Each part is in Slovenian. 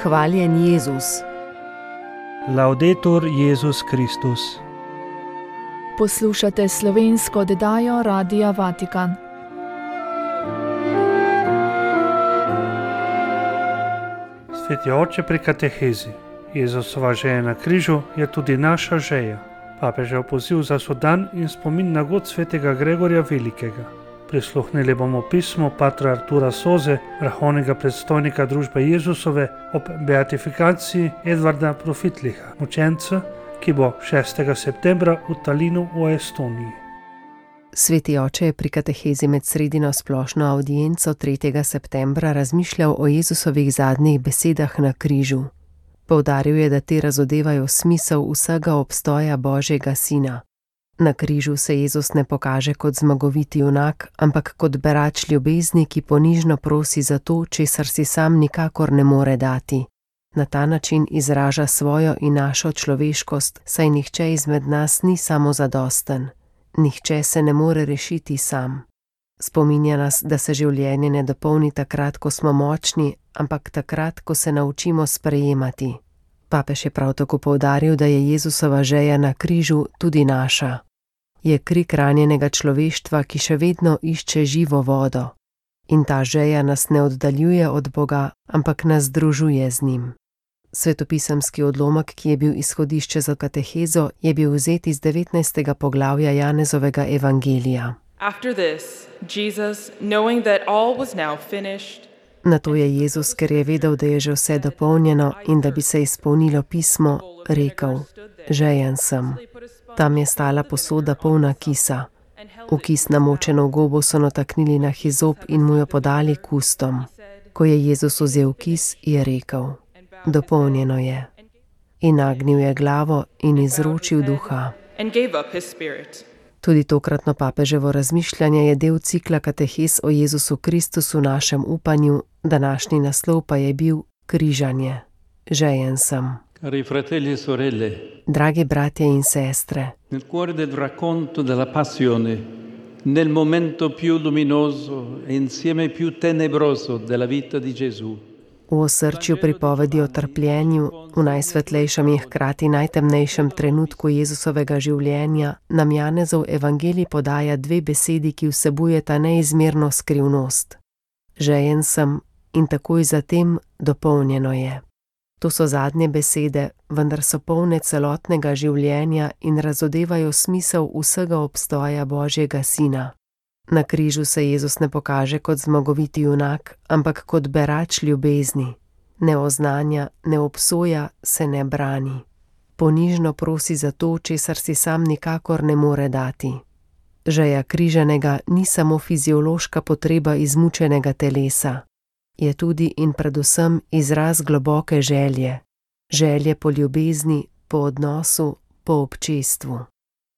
Hvaljen Jezus. Laudetur Jezus Kristus. Poslušate slovensko oddajo Radia Vatikan. Sveti oče pri katehezi. Jezusova žeja na križu je tudi naša žeja. Papežev poziv za sodan in spomin na god svetega Gregorja Velikega. Prisluhnili bomo pismo patra Artura Soze, vrhovnega predstojnika družbe Jezusove, ob beatifikaciji Edvarda Profitliha, mučenca, ki bo 6. septembra v Talinu v Estoniji. Sveti oče je pri katehezi med sredino splošno avdienco 3. septembra razmišljal o Jezusovih zadnjih besedah na križu. Poudaril je, da te razodevajo smisel vsega obstoja Božjega Sina. Na križu se Jezus ne pokaže kot zmagoviti junak, ampak kot berač ljubezni, ki ponižno prosi za to, česar si sam nikakor ne more dati. Na ta način izraža svojo in našo človeškost, saj nihče izmed nas ni samozadosten. Nihče se ne more rešiti sam. Spominja nas, da se življenje ne dopolni takrat, ko smo močni, ampak takrat, ko se naučimo sprejemati. Papež je prav tako poudaril, da je Jezusova žeja na križu tudi naša. Je krik ranjenega človeštva, ki še vedno išče živo vodo. In ta žeja nas ne oddaljuje od Boga, ampak nas združuje z njim. Svetopisemski odlomek, ki je bil izhodišče za katehezo, je bil vzet iz 19. poglavja Janezovega evangelija. Nato je Jezus, ker je vedel, da je že vse dopolnjeno in da bi se izpolnilo pismo, rekel: žejen sem. Tam je stala posoda polna kisa. V kis namočeno gobo so nataknili na hizop in mu jo podali k ustom. Ko je Jezus vzel kis, je rekel: dopolnjeno je. In nagnil je glavo in izročil duha. Tudi tokratno papeževo razmišljanje je del cikla katehez o Jezusu Kristusu našem upanju, današnji naslov pa je bil križanje. Žejen sem. Cari fratelli e sorelle, dragi bratje in sestre, nel cuore del racconto della passione, nel momento più luminoso e insieme più tenebroso della vita di Gesù, v osrčju pripovedi o trpljenju, v najsvetlejšem in hkrati najtemnejšem trenutku Jezusovega življenja, nam Janezov evangelij podaja dve besedi, ki vsebujeta neizmerno skrivnost. Žejen sem in takoj zatem dopolnjeno je. To so zadnje besede, vendar so polne celotnega življenja in razodevajo smisel vsega obstoja Božjega Sina. Na križu se Jezus ne pokaže kot zmagoviti junak, ampak kot berač ljubezni. Ne oznanja, ne obsoja, se ne brani. Ponižno prosi za to, česar si sam nikakor ne more dati. Žeja križanega ni samo fiziološka potreba izmučenega telesa. Je tudi in predvsem izraz globoke želje. Želje po ljubezni, po odnosu, po občestvu.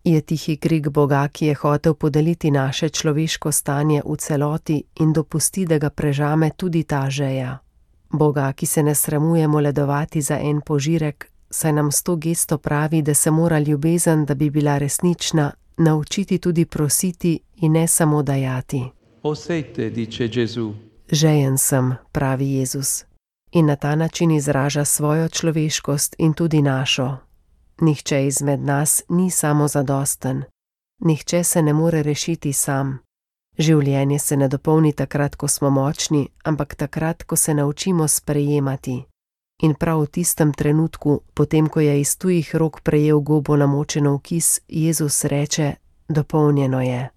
Je tihi krik Boga, ki je hotel podeliti naše človeško stanje v celoti in dopusti, da ga prežame tudi ta žeja. Boga, ki se ne sramuje moledovati za en požirek, saj nam s to gesto pravi, da se mora ljubezen, da bi bila resnična, naučiti tudi prositi in ne samo dajati. Ho sete, dice Gesù. Žejen sem, pravi Jezus, in na ta način izraža svojo človeškost in tudi našo. Nihče izmed nas ni samozadosten. Nihče se ne more rešiti sam. Življenje se ne dopolni takrat, ko smo močni, ampak takrat, ko se naučimo sprejemati. In prav v tistem trenutku, potem ko je iz tujih rok prejel gobo namočeno v kis, Jezus reče: dopolnjeno je.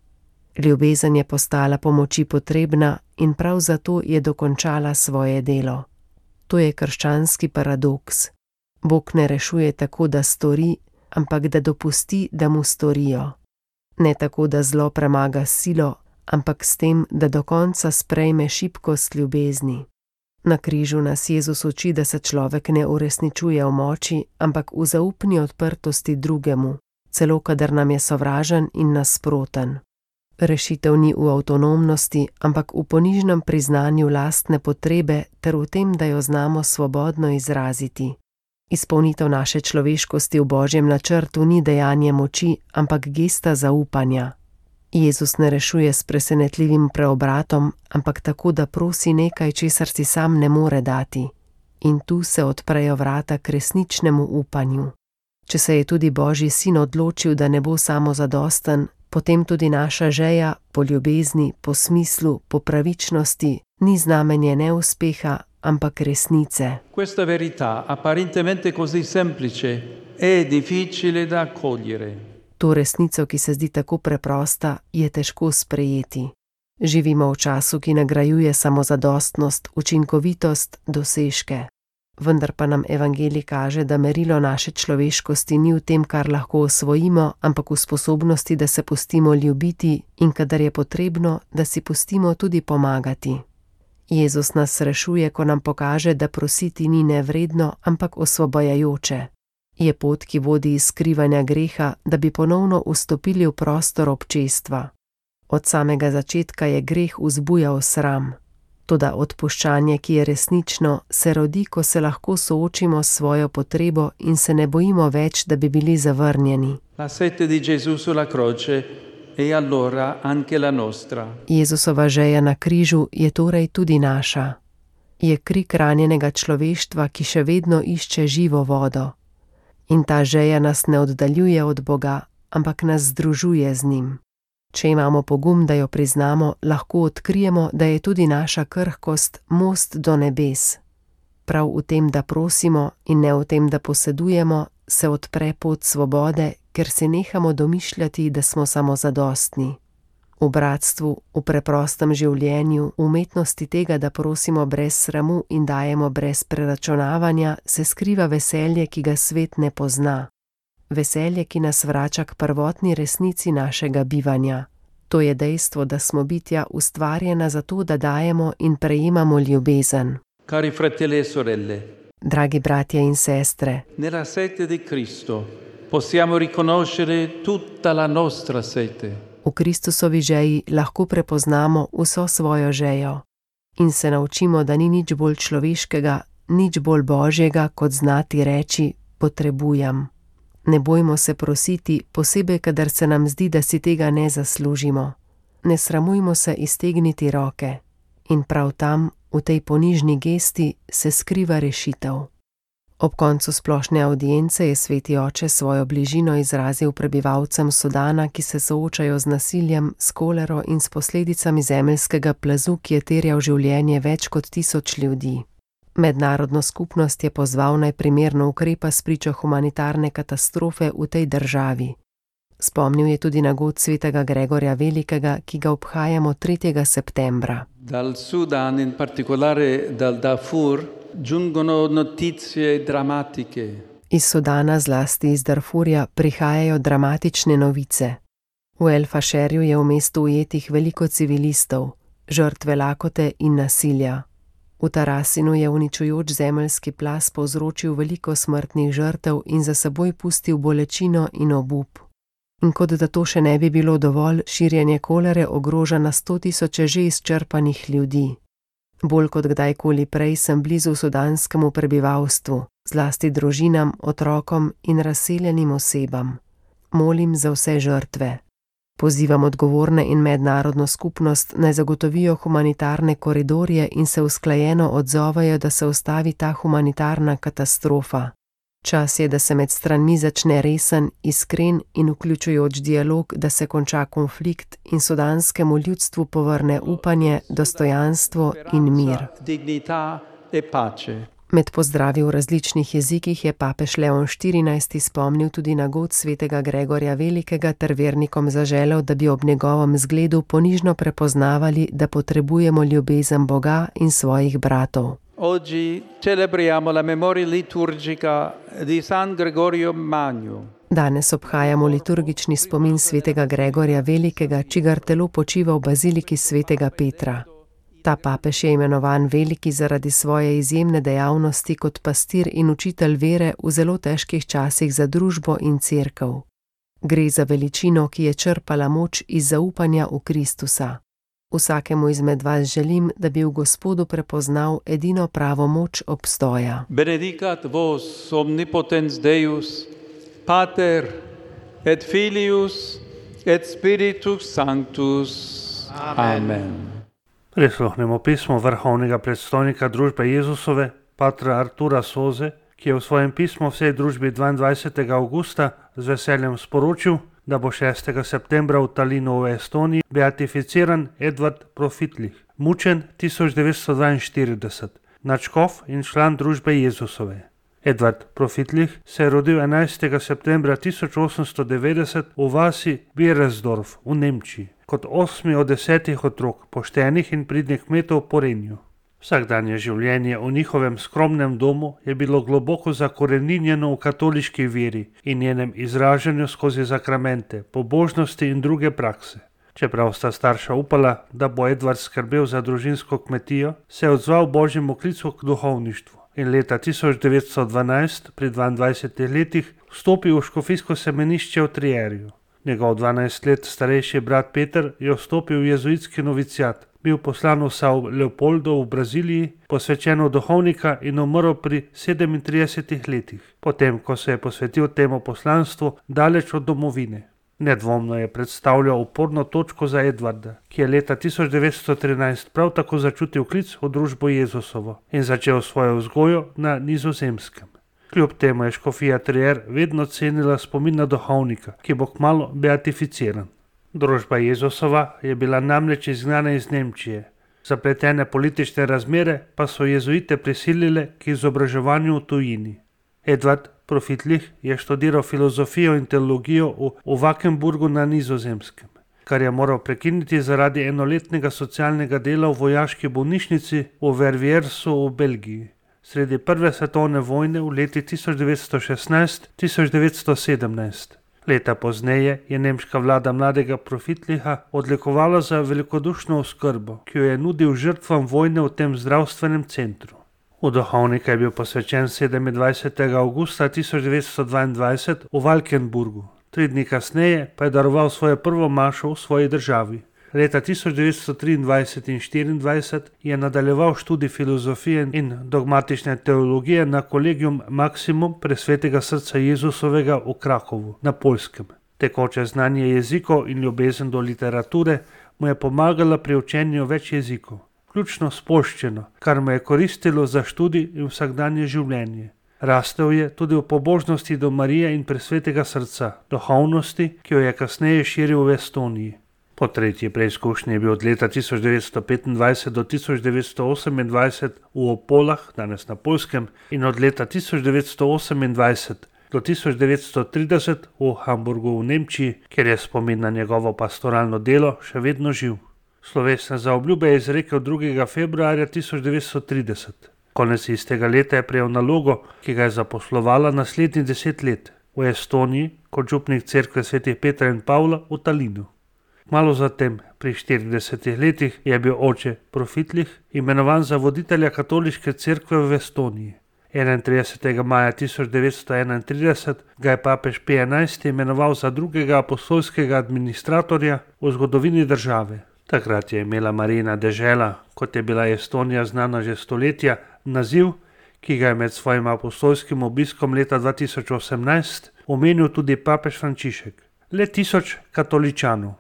Ljubezen je postala pomoči potrebna in prav zato je dokončala svoje delo. To je krščanski paradoks. Bog ne rešuje tako, da stori, ampak da dopusti, da mu storijo. Ne tako, da zlo premaga silo, ampak s tem, da do konca sprejme šibkost ljubezni. Na križu nas Jezus uči, da se človek ne uresničuje v moči, ampak v zaupni odprtosti drugemu, celo kadar nam je sovražen in nasproten. Rešitev ni v avtonomnosti, ampak v ponižnem priznanju lastne potrebe ter v tem, da jo znamo svobodno izraziti. Izpolnitev naše človeškosti v Božjem načrtu ni dejanje moči, ampak gesta zaupanja. Jezus ne rešuje s presenetljivim preobratom, ampak tako, da prosi nekaj, česar si sam ne more dati. In tu se odprejo vrata k resničnemu upanju. Če se je tudi Božji sin odločil, da ne bo samozadosten, potem tudi naša žeja po ljubezni, po smislu, po pravičnosti ni znamenje neuspeha, ampak resnice. Questa verità, apparentemente così semplice, è difficile da accogliere. To resnico, ki se zdi tako preprosta, je težko sprejeti. Živimo v času, ki nagrajuje samozadostnost, učinkovitost, dosežke. Vendar pa nam evangelij kaže, da merilo naše človeškosti ni v tem, kar lahko osvojimo, ampak v sposobnosti, da se pustimo ljubiti in kadar je potrebno, da si pustimo tudi pomagati. Jezus nas rešuje, ko nam pokaže, da prositi ni nevredno, ampak osvobajajoče. Je pot, ki vodi iz skrivanja greha, da bi ponovno vstopili v prostor občestva. Od samega začetka je greh vzbujal sram. Toda odpuščanje, ki je resnično, se rodi, ko se lahko soočimo s svojo potrebo in se ne bojimo več, da bi bili zavrnjeni. La sete di Gesù sulla croce è allora anche la nostra. Jezusova žeja na križu je torej tudi naša. Je krik ranjenega človeštva, ki še vedno išče živo vodo. In ta žeja nas ne oddaljuje od Boga, ampak nas združuje z njim. Če imamo pogum, da jo priznamo, lahko odkrijemo, da je tudi naša krhkost most do nebes. Prav v tem, da prosimo in ne v tem, da posedujemo, se odpre pot svobode, ker se nehamo domišljati, da smo samozadostni. V bratstvu, v preprostem življenju, v umetnosti tega, da prosimo brez sramu in dajemo brez preračunavanja, se skriva veselje, ki ga svet ne pozna. Veselje, ki nas vrača k prvotni resnici našega bivanja. To je dejstvo, da smo bitja ustvarjena zato, da dajemo in prejemamo ljubezen. Cari fratelli e sorelle, Dragi bratje in sestre, nella sete di Cristo possiamo riconoscere tutta la nostra sete. v Kristusovi žeji lahko prepoznamo vso svojo žejo in se naučimo, da ni nič bolj človeškega, nič bolj božjega, kot znati reči potrebujem. Ne bojmo se prositi, posebej, kadar se nam zdi, da si tega ne zaslužimo. Ne sramujmo se iztegniti roke. In prav tam, v tej ponižni gesti, se skriva rešitev. Ob koncu splošne avdience je sveti oče svojo bližino izrazil prebivalcem Sudana, ki se soočajo z nasiljem, s kolero in s posledicami zemeljskega plazu, ki je terjal življenje več kot 1000 ljudi. Mednarodno skupnost je pozval, naj primerno ukrepa spričo humanitarne katastrofe v tej državi. Spomnil je tudi na god svetega Gregorja Velikega, ki ga obhajamo 3. septembra. Dal Sudan, in particolare dal Darfur, giungono notizie drammatiche. Iz Sudana, zlasti iz Darfurja, prihajajo dramatične novice. V El Fasherju je v mestu ujetih veliko civilistov, žrtve lakote in nasilja. V Tarasinu je uničujoč zemeljski plaz povzročil veliko smrtnih žrtev in za seboj pustil bolečino in obup. In kot da to še ne bi bilo dovolj, širjenje kolere ogroža na 100 000 že izčrpanih ljudi. Bolj kot kdajkoli prej sem blizu sudanskemu prebivalstvu, zlasti družinam, otrokom in razseljenim osebam. Molim za vse žrtve. Pozivam odgovorne in mednarodno skupnost, naj zagotovijo humanitarne koridorje in se usklajeno odzovejo, da se ustavi ta humanitarna katastrofa. Čas je, da se med stranmi začne resen, iskren in vključujoč dialog, da se konča konflikt in sudanskemu ljudstvu povrne upanje, dostojanstvo in mir. Med pozdravi v različnih jezikih je papež Leon XIV spomnil tudi na god svetega Gregorja Velikega ter vernikom zaželel, da bi ob njegovem zgledu ponižno prepoznavali, da potrebujemo ljubezen Boga in svojih bratov. Oggi celebriamo la memoria liturgica di San Gregorio Magno. Danes obhajamo liturgični spomin svetega Gregorja Velikega, čigar telo počiva v baziliki svetega Petra. Ta papež je imenovan Veliki zaradi svoje izjemne dejavnosti kot pastir in učitelj vere v zelo težkih časih za družbo in cerkev. Gre za veličino, ki je črpala moč iz zaupanja v Kristusa. Vsakemu izmed vas želim, da bi v Gospodu prepoznal edino pravo moč obstoja. Benedicat vos omnipotens Deus, Pater et Filius et Spiritus Sanctus. Amen. Prisluhnemo pismo vrhovnega predstojnika družbe Jezusove, patra Artura Soze, ki je v svojem pismu vsej družbi 22. avgusta z veseljem sporočil, da bo 6. septembra v Talinu v Estoniji beatificiran Edvard Profitlich, mučen 1942, nadškof in član družbe Jezusove. Edvard Profitlich se je rodil 11. septembra 1890 v vasi Beresdorf v Nemčiji, kot 8. od 10 otrok poštenih in pridnih kmetov po Renju. Vsakdanje življenje v njihovem skromnem domu je bilo globoko zakoreninjeno v katoliški veri in njenem izražanju skozi zakramente, pobožnosti in druge prakse. Čeprav sta starša upala, da bo Edvard skrbel za družinsko kmetijo, se je odzval božjemu klicu k duhovništvu in leta 1912, pri 22 letih, vstopil v škofijsko semenišče v Trierju. Njegov 12 let starejši brat Peter je vstopil v jezuitski noviciat, bil poslan v São Leopoldo v Braziliji, posvečen v duhovnika in umrl pri 37 letih, potem ko se je posvetil temu poslanstvu daleč od domovine. Nedvomno je predstavljal uporno točko za Edvarda, ki je leta 1913 prav tako začutil klic v družbo Jezusovo in začel svojo vzgojo na Nizozemskem. Kljub temu je škofija Trier vedno cenila spomin na duhovnika, ki bo kmalu beatificiran. Družba Jezusova je bila namreč izgnana iz Nemčije. Zapletene politične razmere pa so jezuite prisilile k izobraževanju v tujini. Edvard Profitlich je študiral filozofijo in teologijo v Wackenburgu na Nizozemskem, kar je moral prekiniti zaradi enoletnega socialnega dela v vojaški bolnišnici v Verviersu v Belgiji. Sredi prve svetovne vojne v letih 1916-1917. Leta pozneje je nemška vlada mladega Profitlicha odlikovala za velikodušno oskrbo, ki jo je nudil žrtvam vojne v tem zdravstvenem centru. V duhovnika je bil posvečen 27. avgusta 1922 v Valkenburgu, 3 dni kasneje pa je daroval svojo prvo mašo v svoji državi. Leta 1923 in 1924 je nadaljeval študij filozofije in dogmatične teologije na Collegium Maximum Presvetega srca Jezusovega v Krakovu na Poljskem. Tekoče znanje jezikov in ljubezen do literature mu je pomagala pri učenju več jezikov, vključno s poljščino, kar mu je koristilo za študij in vsakdanje življenje. Rastel je tudi v pobožnosti do Marije in Presvetega srca, duhovnosti, ki jo je kasneje širil v Estoniji. Po tretji preizkušnji je bil od leta 1925 do 1928 v Opolah, danes na Poljskem, in od leta 1928 do 1930 v Hamburgu v Nemčiji, kjer je spomin na njegovo pastoralno delo še vedno živ. Slovesne zaobljube je izrekel 2. februarja 1930. Konec istega leta je prejel nalogo, ki ga je zaposlovala naslednjih 10 let v Estoniji kot župnik cerkve svetih Petra in Pavla v Talinu. Malo zatem, pri 40 letih, je bil oče Profitlich imenovan za voditelja katoliške cerkve v Estoniji. 31. maja 1931 ga je papež Pij XI imenoval za drugega apostolskega administratorja v zgodovini države. Takrat je imela Marijina dežela, kot je bila Estonija znana že stoletja, naziv, ki ga je med svojim apostolskim obiskom leta 2018 omenil tudi papež Frančišek. Le 1000 katoličanov.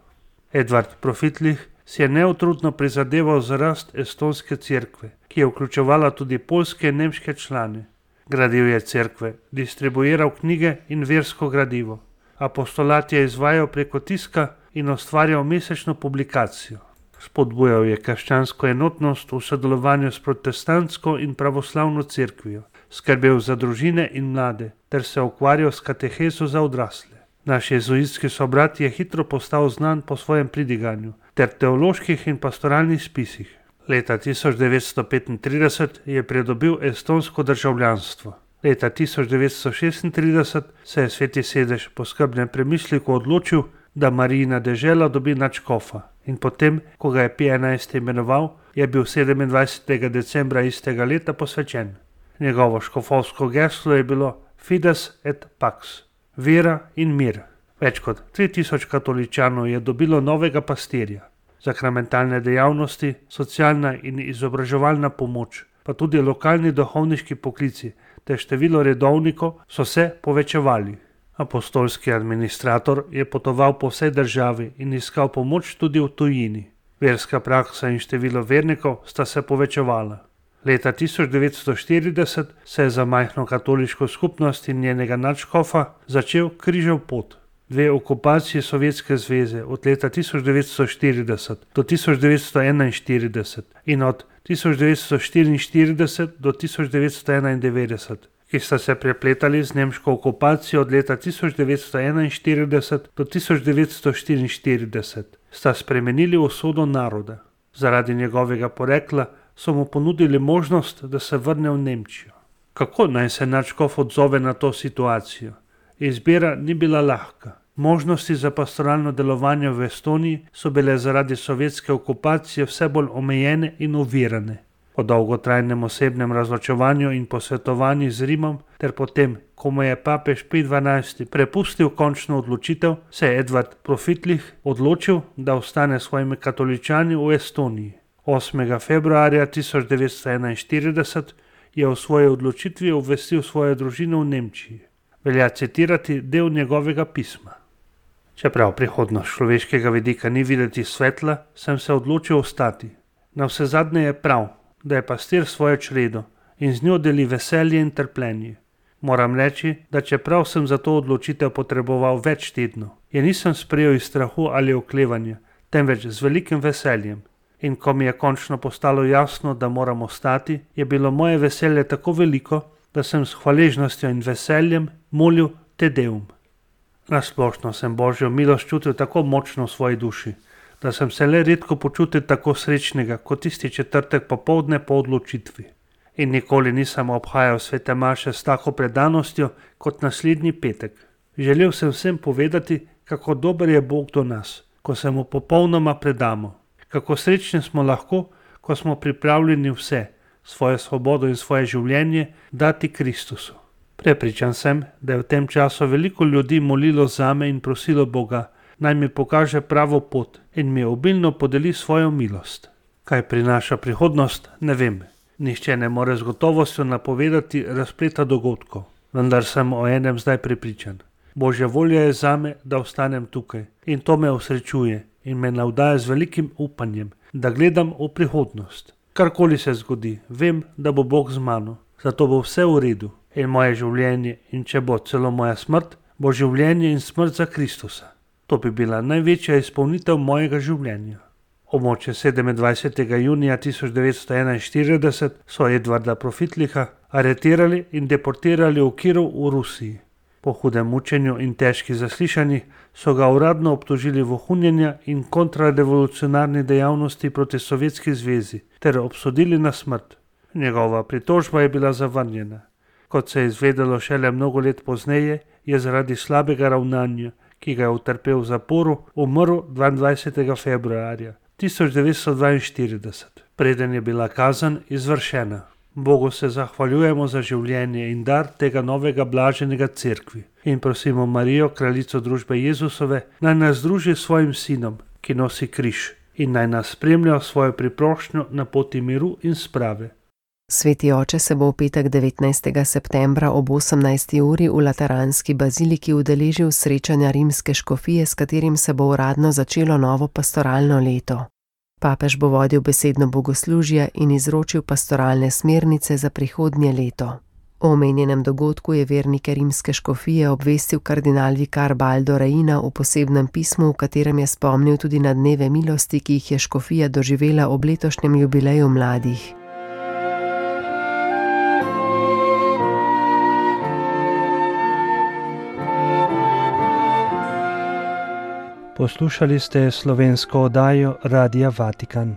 Edvard Profitlich si je neutrudno prizadeval za rast estonske cerkve, ki je vključevala tudi poljske in nemške člane. Gradil je cerkve, distribuiral knjige in versko gradivo. Apostolat je izvajal preko tiska in ustvarjal mesečno publikacijo. Spodbujal je krščansko enotnost v sodelovanju s protestantsko in pravoslavno cerkvijo, skrbel za družine in mlade ter se ukvarjal s katehezo za odrasle. Naš jezuitski sobrat je hitro postal znan po svojem pridiganju ter teoloških in pastoralnih spisih. Leta 1935 je pridobil estonsko državljanstvo. Leta 1936 se je Sveti sedež po skrbnem premisliku odločil, da Marijina dežela dobi nadškofa in potem, ko ga je Pij XI imenoval, je bil 27. decembra istega leta posvečen. Njegovo škofovsko geslo je bilo Fides et Pax, vera in mir. Več kot 3000 katoličanov je dobilo novega pastirja. Sakramentalne dejavnosti, socialna in izobraževalna pomoč, pa tudi lokalni duhovniški poklici ter število redovnikov so se povečevali. Apostolski administrator je potoval po vsej državi in iskal pomoč tudi v tujini. Verska praksa in število vernikov sta se povečevala. Leta 1940 se je za majhno katoliško skupnost in njenega nadškofa začel križev pot. 2 okupaciji Sovjetske zveze od leta 1940 do 1941 in od 1944 do 1991, ki sta se prepletali z nemško okupacijo od leta 1941 do 1944, sta spremenili usodo naroda. Zaradi njegovega porekla so mu ponudili možnost, da se vrne v Nemčijo. Kako naj se nadškof odzove na to situacijo? Izbira ni bila lahka. Možnosti za pastoralno delovanje v Estoniji so bile zaradi sovjetske okupacije vse bolj omejene in ovirane. Po dolgotrajnem osebnem razločevanju in posvetovanju z Rimom ter potem, ko mu je papež Pij XII prepustil končno odločitev, se je Edvard Profitlich odločil, da ostane s svojimi katoličani v Estoniji. 8. februarja 1941 je o svoji odločitvi obvestil svojo družino v Nemčiji. Velja citirati del njegovega pisma. Čeprav prihodnost človeškega vidika ni videti svetla, sem se odločil ostati. Navsezadnje je prav, da je pastir svojo čredo in z njo deli veselje in trpljenje. Moram reči, da čeprav sem za to odločitev potreboval več tednov, je nisem sprejel iz strahu ali oklevanja, temveč z velikim veseljem. In ko mi je končno postalo jasno, da moram ostati, je bilo moje veselje tako veliko, da sem s hvaležnostjo in veseljem molil Te Deum. Nasplošno sem Božjo milost čutil tako močno v svoji duši, da sem se le redko počutil tako srečnega kot tisti četrtek popoldne po odločitvi. In nikoli nisem obhajal svete maše s tako predanostjo kot naslednji petek. Želel sem vsem povedati, kako dober je Bog do nas, ko se mu popolnoma predamo. Kako srečni smo lahko, ko smo pripravljeni vse, svojo svobodo in svoje življenje, dati Kristusu. Prepričan sem, da je v tem času veliko ljudi molilo zame in prosilo Boga, naj mi pokaže pravo pot in mi obilno podeli svojo milost. Kaj prinaša prihodnost, ne vem. Nihče ne more z gotovostjo napovedati razpleta dogodkov, vendar sem o enem zdaj prepričan. Božja volja je zame, da ostanem tukaj in to me osrečuje in me navdaja z velikim upanjem, da gledam v prihodnost. Karkoli se zgodi, vem, da bo Bog z mano, zato bo vse v redu in moje življenje in če bo celo moja smrt, bo življenje in smrt za Kristusa. To bi bila največja izpolnitev mojega življenja. Območje 27. junija 1941 so Edvarda Profitlicha aretirali in deportirali v Kirov v Rusiji. Po hudem mučenju in težkih zaslišanjih so ga uradno obtožili vohunjenja in kontrarevolucionarni dejavnosti proti Sovjetski zvezi ter obsodili na smrt. Njegova pritožba je bila zavrnjena. Kot se je izvedelo šele mnogo let pozneje, je zaradi slabega ravnanja, ki ga je utrpel v zaporu, umrl 22. februarja 1942, preden je bila kazen izvršena. Bogu se zahvaljujemo za življenje in dar tega novega blaženega cerkvi in prosimo Marijo, kraljico družbe Jezusove, naj nas združi s svojim sinom, ki nosi križ, in naj nas spremlja svojo priprošnjo na poti miru in sprave. Sveti oče se bo v petek 19. septembra ob 18. uri v Lateranski baziliki udeležil srečanja rimske škofije, s katerim se bo uradno začelo novo pastoralno leto. Papež bo vodil besedno bogoslužje in izročil pastoralne smernice za prihodnje leto. O omenjenem dogodku je vernike rimske škofije obvestil kardinal vikar Baldo Reina v posebnem pismu, v katerem je spomnil tudi na dneve milosti, ki jih je škofija doživela ob letošnjem jubileju mladih. Poslušali ste slovensko oddajo Radia Vatikan.